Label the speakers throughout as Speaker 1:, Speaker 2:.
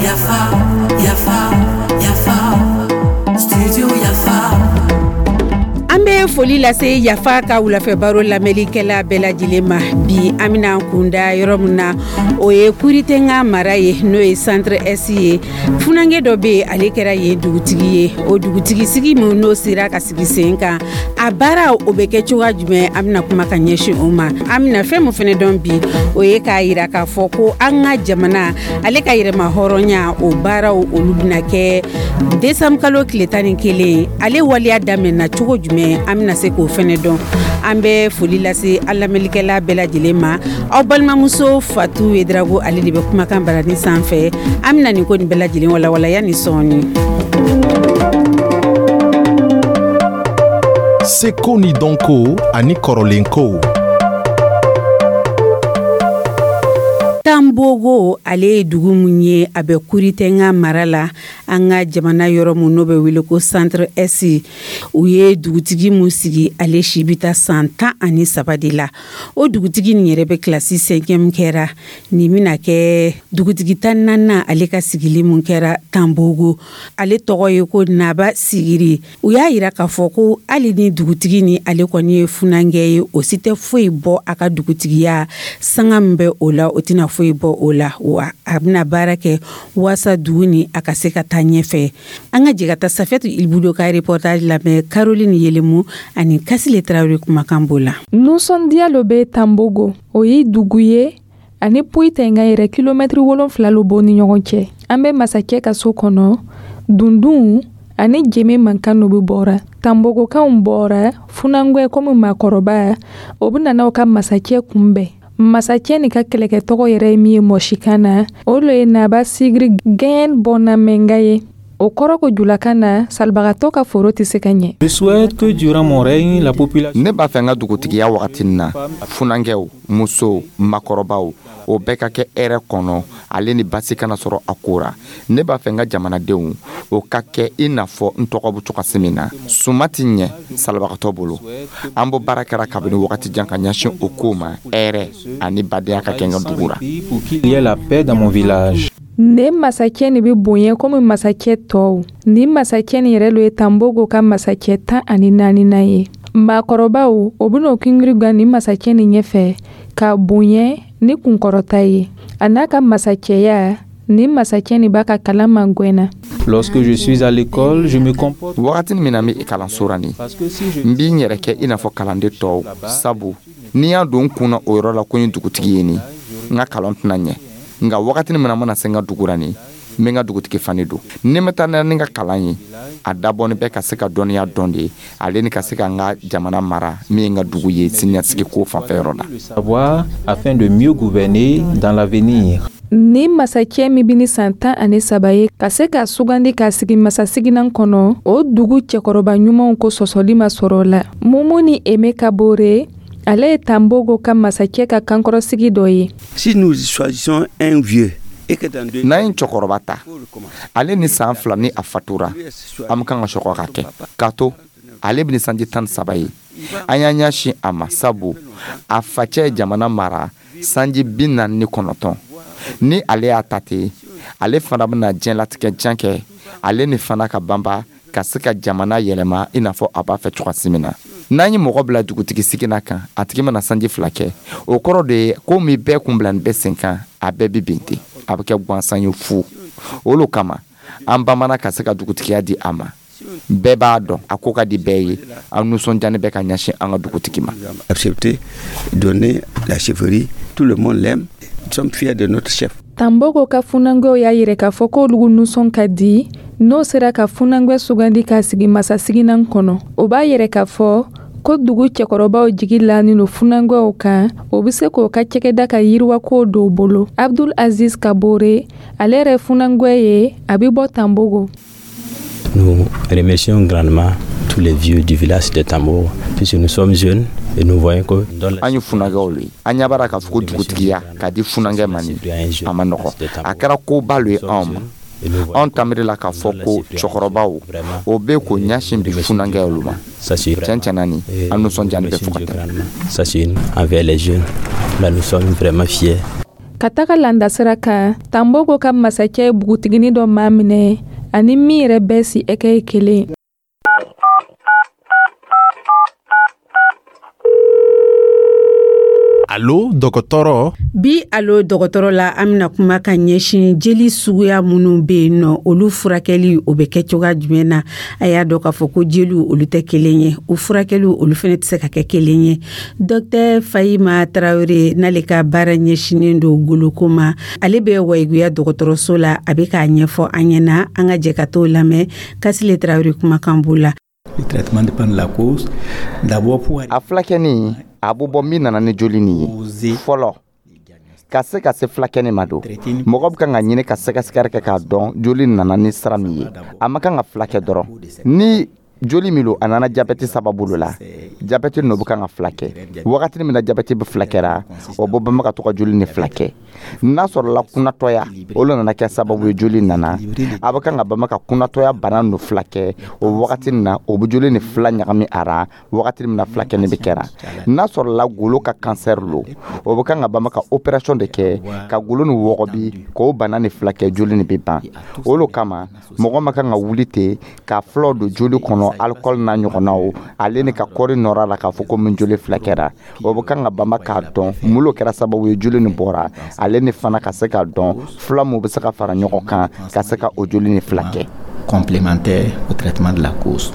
Speaker 1: Yafa, yafa, yafa, studio Yafa.
Speaker 2: An bɛ foli lase Yafa ka wulafɛ baro lamɛnlikɛla bɛɛ lajɛlen ma. Bi, an bɛna kunda yɔrɔ min na, o ye Kuritenga mara ye, n'o ye Centre Est ye. Funankɛ dɔ bɛ yen, ale kɛra yen dugutigi ye. O dugutigi sigi min n'o sera ka sigi sen kan, a baara o bɛ kɛ cogoya jumɛn? An bɛna kuma ka ɲɛsin o ma. An bɛna fɛn min fana dɔn bi, o ye k'a yira k'a fɔ ko an ka jamana ale ka yɛrɛma hɔrɔnya, o baaraw olu bɛna kɛ décembre kalo tile 11. Ale waleya daminɛna cogo jumɛn? An bɛna se k'o fɛnɛ dɔn. An bɛ foli lase an lamɛnlikɛla bɛɛ lajɛlen ma. Aw balimamuso Fatu Yedrago, ale de bɛ kumakan barani sanfɛ. An bɛna nin ko nin bɛɛ lajɛlen walawala yanni sɔɔni.
Speaker 3: Seko ni dɔnko ani kɔrɔlenkow.
Speaker 2: Tanbogo, ale ye dugu mun ye, a bɛ Kuritenga mara la, an ka jamana yɔrɔ mun n'o bɛ wele ko Centre Est. U ye dugutigi mun sigi, ale si bɛ taa san 13 de la. O dugutigi nin yɛrɛ bɛ kilasi cinquième kɛra. Nin bɛna kɛ dugutigi 14nan ale ka sigili mun kɛra Tanbogo. Ale tɔgɔ ye ko Naba Sigiri. U y'a yira k'a fɔ ko hali ni dugutigi ni ale kɔni ye funankɛ ye, o si tɛ foyi bɔ a ka dugutigiya sanga min bɛ o la, o tɛna foyi bɔ o la, wa a bɛna baara kɛ waasa dugu ni a ka se ka taa ɲɛfɛ. An ka jɛ ka taa Safiyatu Ilbudo ka reportage lamɛn, Caroline Yelemu ani Kasile Tarawele kumakan b'o la.
Speaker 4: Nisɔndiya lo bɛ Tanbogo. O ye dugu ye ani Poyitenga yɛrɛ, kilomɛtiri 7 lo b'o ni ɲɔgɔn cɛ. An bɛ masakɛ ka so kɔnɔ. Dundun ani jeme mankan no bɛ bɔra. Tanbogokanw bɔra. Funangwɛ komi maakɔrɔba, o bɛ nana o ka masakɛ kunbɛn. Masakɛ nin ka kɛlɛkɛ tɔgɔ yɛrɛ ye min ye mɔsikan na, o lo ye Naba Sigiri Gɛn Bɔnnamɛnga ye. O kɔrɔ ko julakan na, salibagatɔ ka foro tɛ se ka ɲɛ.
Speaker 5: Ne b'a fɛ n ka dugutigiya wagati na, funankɛw, musow, makɔrɔbaw, o bɛɛ ka kɛ hɛrɛ kɔnɔ, ale ni basi kana sɔrɔ a ko ra. Ne b'a fɛ n ka jamanadenw o ka kɛ i n'a fɔ n tɔgɔ bɛ cogoya min na. Suma tɛ ɲɛ salibagatɔ bolo. An bɔ baara kɛra kabini wagati jan ka ɲɛsin o ko ma, hɛrɛ ani badenya ka kɛ n ka dugu ra.
Speaker 4: Ne masakɛ nin bɛ bonya komi masakɛ tɔw. Ni masakɛ nin yɛrɛ lo ye Tanbogo ka masakɛ 14nan ye. Maakɔrɔbaw, o bɛna o kingiri gan ni masakɛ nin ɲɛfɛ k'a bonya ni kunkɔrɔta ye. A n'a ka masakɛya, ni masakɛ nin b'a ka kalan magɛnna.
Speaker 6: Lorsque je suis à l'école, je me comporte.
Speaker 5: Wagati min na n bɛ kalanso ra nin, n b'i n yɛrɛ kɛ i n'a fɔ kalanden tɔw, sabu n'i y'a don n kun na o yɔrɔ la ko n ye dugutigi ye nin, n ka kalan tɛna ɲɛ. Nka wagati min na n mana se n ka dugu ra nin, n bɛ n ka dugutigi fani don. Ni n bɛ taa ni n ka kalan ye, a dabɔni bɛ ka se ka dɔnniya dɔn de ye, ale ni ka se ka n ka jamana mara min ye n ka dugu ye, siniɲɛsigi ko fanfɛyɔrɔ la.
Speaker 6: Savoir afin de mieux gouverner dans l'avenir.
Speaker 4: Ni masakɛ min bɛ ni san 13 ye ka se ka sugandi k'a sigi masasigilan kɔnɔ, o dugu cɛkɔrɔba ɲumanw ko sɔsɔli ma sɔrɔ o la. Mumuni Eme Kabore, ale ye Tanbogo ka masakɛ ka kankɔrɔsigi dɔ ye.
Speaker 7: Si nous choisissons un vieux
Speaker 5: N'an ye cɛkɔrɔba ta, ale ni san 2 ni a fatura, an bɛ kan ka sɔgɔ ka kɛ k'a to ale bɛ ni sanji 13 ye. An y'an ɲɛsin a ma, sabu a facɛ ye jamana mara sanji 49. Ni ale y'a ta ten, ale fana bɛna diɲɛlatigɛ jan kɛ, ale ni fana ka banba ka se ka jamana yɛlɛma i n'a fɔ a b'a fɛ cogoya min na. N'an ye mɔgɔ bila dugutigi sigina kan, a tigi mana sanji 2 kɛ, o kɔrɔ de ye ko min bɛɛ kun bila nin bɛɛ sen kan, a bɛɛ bɛ bin ten, a bɛ kɛ gansan ye fu. O lo kama an bamana ka se ka dugutigiya di a ma. Bɛɛ b'a dɔn a ko ka di bɛɛ ye. An nisɔndiyani bɛ ka ɲɛsin an ka dugutigi ma.
Speaker 7: Accepter, donner la chefferie, tout le monde l'aime. Nous sommes fiers de notre chef.
Speaker 4: Tanbogo ka funankɛw y'a yira k'a fɔ k'olu nisɔn ka di n'o sera ka funankɛ sugandi k'a sigi masasigilan kɔnɔ. O b'a yɛrɛ k'a fɔ ko dugu cɛkɔrɔbaw jigi lanin lo funankɛw kan, o bɛ se k'o ka cɛkɛda ka yiriwako don bolo. Abdul Aziz Kabore, ale yɛrɛ funankɛ ye, a bɛ bɔ Tanbogo.
Speaker 8: Nous remercions grandement tous les vieux du village de Tambour, puisque nous sommes jeunes et nous voyons que
Speaker 5: An ye funankɛw ye, an ɲɛ b'a k'a fɔ ko dugutigiya ka di funankɛ ma nin, a ma nɔgɔ. A kɛra koba lo ye anw ma. Anw tamiri la k'a fɔ ko cɛkɔrɔbaw o bɛ k'o ɲɛsin bi funankɛw ma. Tiɲɛ tiɲɛ na nin, an nisɔndiyani bɛ fo ka tɛmɛ.
Speaker 8: Ça, c'est envers les jeunes. Là, nous sommes vraiment fiers.
Speaker 4: Ka taga landasira kan, Tanbogo ka masakɛ ye bugutigini dɔ maminɛ ani min yɛrɛ bɛɛ si ɛkɛ ye kelen.
Speaker 3: Alo dɔgɔtɔrɔ.
Speaker 2: Bi alo dɔgɔtɔrɔ la, an bɛna kuma ka ɲɛsin jeli suguya minnu bɛ yen nɔ, olu furakɛli o bɛ kɛ cogoya jumɛn na. A y'a dɔn k'a fɔ ko jeliw olu tɛ kelen ye, u furakɛliw olu fana tɛ se ka kɛ kelen ye. Dɔktɛr Fahima Tarawele, n'ale ka baara ɲɛsinnen don goloko ma, ale bɛ Wayiguya dɔgɔtɔrɔso la, a bɛ k'a ɲɛfɔ an ɲɛna. An ka jɛ ka t'o lamɛn. Kasile Tarawele kumakan b'o la.
Speaker 6: Le traitement dépend de la cause. D'abord pour
Speaker 5: A fulakɛni, a bɛ bɔ min nana ni joli nin ye fɔlɔ. Ka se ka se fulakɛni ma don, mɔgɔ bɛ kan ka ɲini ka sɛgɛsɛgɛli kɛ k'a dɔn joli nana ni sira min ye. A ma kan ka fulakɛ dɔrɔn. Ni joli min don, a nana jabɛti sababu lo la, jabɛti nɔ bɛ kan ka fulakɛ. Wagati min na jabɛti bɛ fulakɛra, o bɛ banba ka to ka joli ni fulakɛ. N'a sɔrɔla kunnatɔya o lo nana kɛ sababu ye joli nana, a bɛ kan ka banba ka kunnatɔya bana nɔ fulakɛ o wagati na, o bɛ joli ni fila ɲagami a ra wagati min na fulakɛni bɛ kɛra. N'a sɔrɔla golo ka kansɛri lo, o bɛ kan ka banba ka opération de kɛ ka golo ni wɔgɔbi k'o bana ni fulakɛ, joli ni bɛ ban. O lo kama mɔgɔ ma kan ka wuli ten ka fulaw don joli kɔnɔ, alcool n'a ɲɔgɔnnaw, ale ni ka kɔri nɔrɔ la k'a fɔ ko min joli fulakɛra. O bɛ kan ka banba k'a dɔn mun lo kɛra sababu ye joli ni bɔra, ale ni fana ka se k'a dɔn fula mun bɛ se ka fara ɲɔgɔn kan ka se ka o joli ni fulakɛ.
Speaker 6: Complémentaire au traitement de la cause.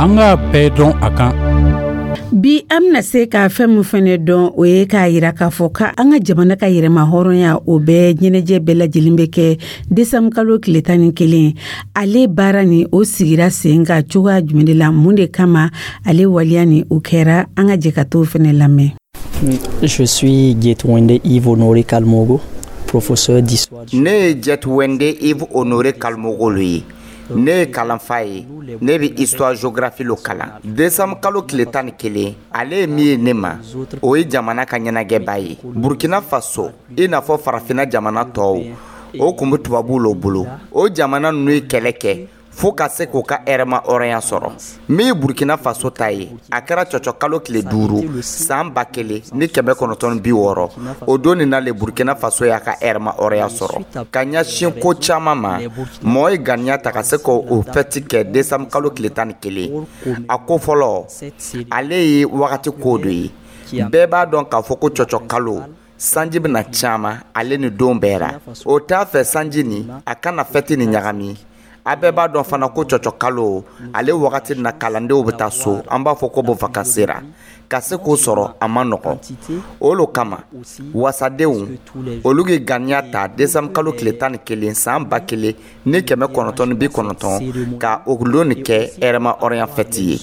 Speaker 9: An k'a bɛɛ dɔn a kan.
Speaker 2: Bi an bɛna se ka fɛn min fɛnɛ dɔn, o ye k'a yira k'a fɔ ka an ka jamana ka yɛrɛma hɔrɔnya, o bɛɛ ɲɛnajɛ bɛɛ lajɛlen bɛ kɛ desanburu kalo tile 11. Ale baara ni o sigira sen kan cogoya jumɛn de la, mun de kama ale waleya ni o kɛra? An ka jɛ ka t'o fɛnɛ lamɛn.
Speaker 10: Je suis Getwende Yves Honoré Kalmogo, professeur d'histoire.
Speaker 5: Ne ye Jetwende Yves Honoré Kalmogo lo ye. Ne ye kalanfa ye, ne bɛ histoire géographie lo kalan. Desanburu kalo tile 11, ale ye min ye ne ma, o ye jamana ka ɲɛnajɛba ye. Burkina Faso, i n'a fɔ farafinna jamana tɔw, o kun bɛ tubabuw lo bolo. O jamana ninnu ye kɛlɛ kɛ fo ka se k'u ka hɛrɛma hɔrɔnya sɔrɔ. Min ye Burkina Faso ta ye, a kɛra cɔcɔ kalo tile 5 san 1960. O don nin na le Burkina Faso y'a ka hɛrɛma hɔrɔnya sɔrɔ. Ka ɲɛsin ko caman ma, mɔgɔ ye ganiya ta ka se k'o fɛti kɛ desanburu kalo tile 11. A ko fɔlɔ, ale ye wagati ko dɔ ye. Bɛɛ b'a dɔn k'a fɔ ko cɔcɔ kalo sanji bɛna caman ale ni don bɛɛ ra. O t'a fɛ sanji nin a kana fɛti nin ɲagami. A bɛɛ b'a dɔn fana ko cɔcɔ kalo ale wagati na kalandenw bɛ taa so, an b'a fɔ ko bon vacances ra. Ka se k'o sɔrɔ a ma nɔgɔn. O lo kama wasadenw olu ye ganiya ta desanburu kalo tile 11 san 1990 ka o lon nin kɛ hɛrɛma hɔrɔnya fɛti ye.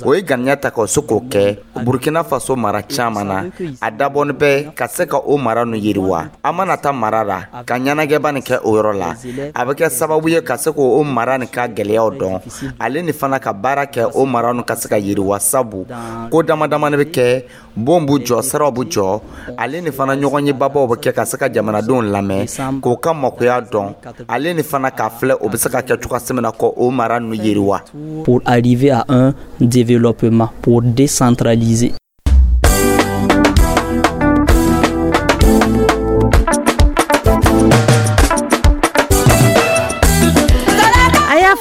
Speaker 5: O ye ganiya ta ka se k'o kɛ Burkina Faso mara caman na. A dabɔnin bɛ ka se ka o mara nu yiriwa. An mana taa mara la ka ɲɛnajɛba nin kɛ o yɔrɔ la, a bɛ kɛ sababu ye ka se k'o mara nin ka gɛlɛyaw dɔn, ale ni fana ka baara kɛ o mara nu ka se ka yiriwa, sabu ko dama damani bɛ kɛ, bon b'u jɔ, siraw b'u jɔ, ale ni fana ɲɔgɔn ye babaw bɛ kɛ ka se ka jamanadenw lamɛn k'o ka makoya dɔn, ale ni fana k'a filɛ o bɛ se ka kɛ cogoya min na k'o mara nu yiriwa.
Speaker 10: Pour arriver à un développement, pour décentraliser.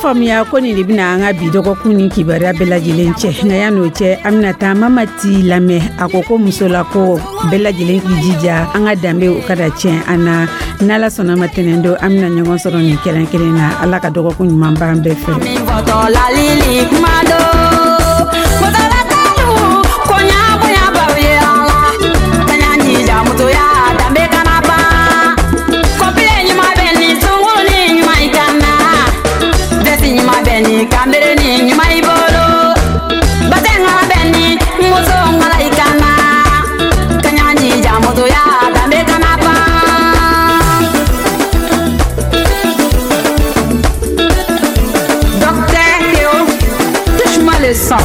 Speaker 2: Faamuya ko nin de bɛna an ka bi dɔgɔkun ni kibaruya bɛɛ lajɛlen cɛ. Nka yan'o cɛ, an bɛna taa Mamati lamɛn. A ko ko musola ko bɛɛ lajɛlen k'i jija an ka danbe o kada tiɲɛ an na. N'Ala sɔnna ma, tɛnɛn don an bɛna ɲɔgɔn sɔrɔ nin kɛrɛn kelen na. Ala ka dɔgɔkun ɲuman b'an bɛɛ fɛ.
Speaker 1: Docteur Théo, touche-moi le sang.